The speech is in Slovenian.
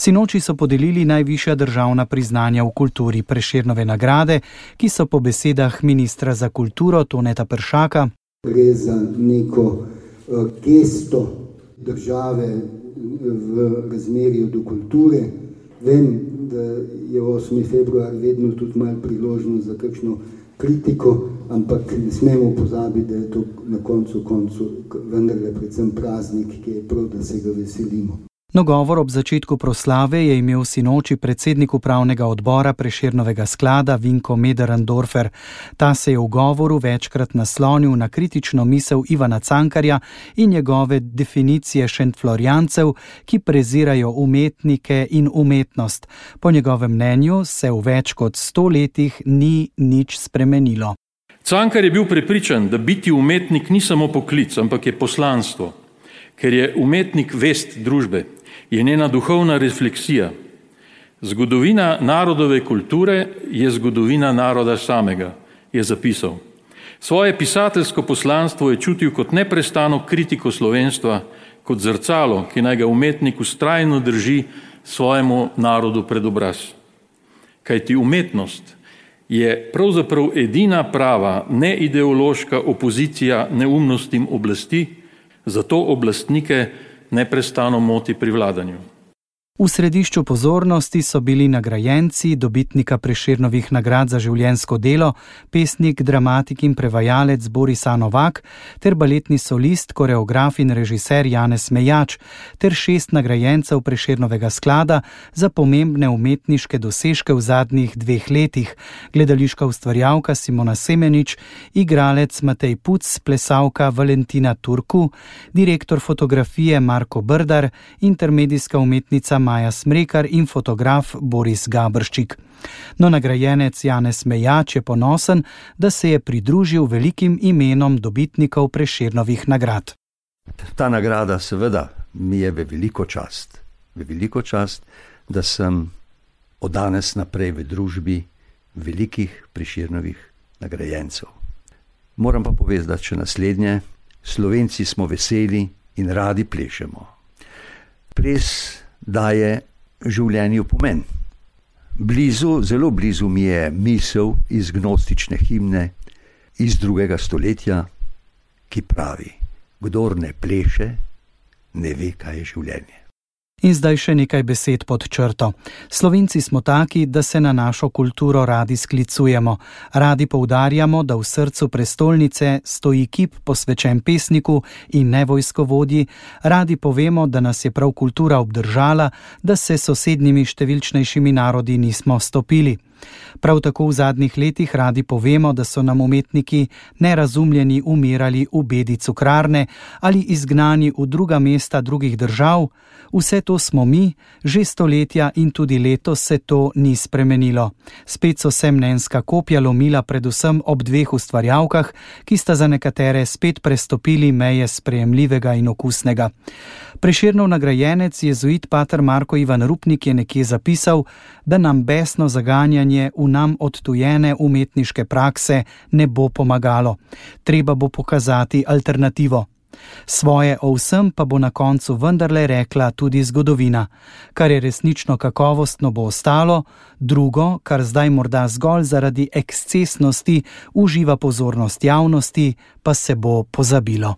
Sinoči so podelili najvišja državna priznanja v kulturi, Prešernove nagrade, ki so po besedah ministra za kulturo Toneta Peršaka gre za neko gesto države v razmerju do kulture. Vem, da je 8. februar vedno tudi malo priložnost za kakšno kritiko, ampak ne smemo pozabiti, da je to na koncu vendarle predvsem praznik, ki je prav, da se ga veselimo. No, govor ob začetku proslave je imel sinoči predsednik upravnega odbora Prešernovega sklada Vinko Möderndorfer. Ta se je v govoru večkrat naslonil na kritično misel Ivana Cankarja in njegove definicije šentflorjancev, ki prezirajo umetnike in umetnost. Po njegovem mnenju se v več kot 100 letih ni nič spremenilo. Cankar je bil prepričan, da biti umetnik ni samo poklic, ampak je poslanstvo. Ker je umetnik vest družbe, je njena duhovna refleksija. Zgodovina narodove kulture je zgodovina naroda samega, je zapisal. Svoje pisateljsko poslanstvo je čutil kot neprestano kritiko slovenstva, kot zrcalo, ki naj ga umetnik vztrajno drži svojemu narodu pred obraz. Kajti umetnost je pravzaprav edina prava, neideološka opozicija neumnostim oblasti, zato oblastnike neprestano moti pri vladanju. V središču pozornosti so bili nagrajenci dobitnika Prešernovih nagrad za življenjsko delo, pesnik, dramatik in prevajalec Boris A. Novak ter baletni solist, koreograf in režiser Janez Mejač ter 6 nagrajencev Prešernovega sklada za pomembne umetniške dosežke v zadnjih 2 letih, gledališka ustvarjalka Simona Semenič, igralec Matej Puc, plesalka Valentina Turku, direktor fotografije Marko Brdar, intermedijska umetnica Maja Smrekar in fotograf Boris Gabrščik. No, nagrajenec Janez Mejač je ponosen, da se je pridružil velikim imenom dobitnikov Prešernovih nagrad. Ta nagrada seveda mi je v veliko čast, da sem od danes naprej v družbi velikih Prešernovih nagrajencev. Moram pa povedati še naslednje: Slovenci smo veseli in radi plešemo. Ples daje življenju pomen. Zelo blizu mi je misel iz gnostične himne iz 2. stoletja, ki pravi: kdor ne pleše, ne ve, kaj je življenje. In zdaj še nekaj besed pod črto. Slovenci smo taki, da se na našo kulturo radi sklicujemo. Radi poudarjamo, da v srcu prestolnice stoji kip posvečen pesniku in ne vojskovodji. Radi povemo, da nas je prav kultura obdržala, da se sosednjimi številčnejšimi narodi nismo stopili. Prav tako v zadnjih letih radi povemo, da so nam umetniki nerazumljeni umirali v bedi cukrarne ali izgnani v druga mesta drugih držav. Vse to smo mi, že stoletja, in tudi letos se to ni spremenilo. Spet so se mnenjska kopja lomila predvsem ob 2 ustvarjalkah, ki sta za nekatere spet prestopili meje sprejemljivega in okusnega. Prešernov nagrajenec jezuit pater Marko Ivan Rupnik je nekje zapisal, da nam besno zaganjanje v nam odtujene umetniške prakse ne bo pomagalo. Treba bo pokazati alternativo. Svoje o vsem pa bo na koncu vendarle rekla tudi zgodovina. Kar je resnično kakovostno, bo ostalo, drugo, kar zdaj morda zgolj zaradi ekscesnosti uživa pozornost javnosti, pa se bo pozabilo.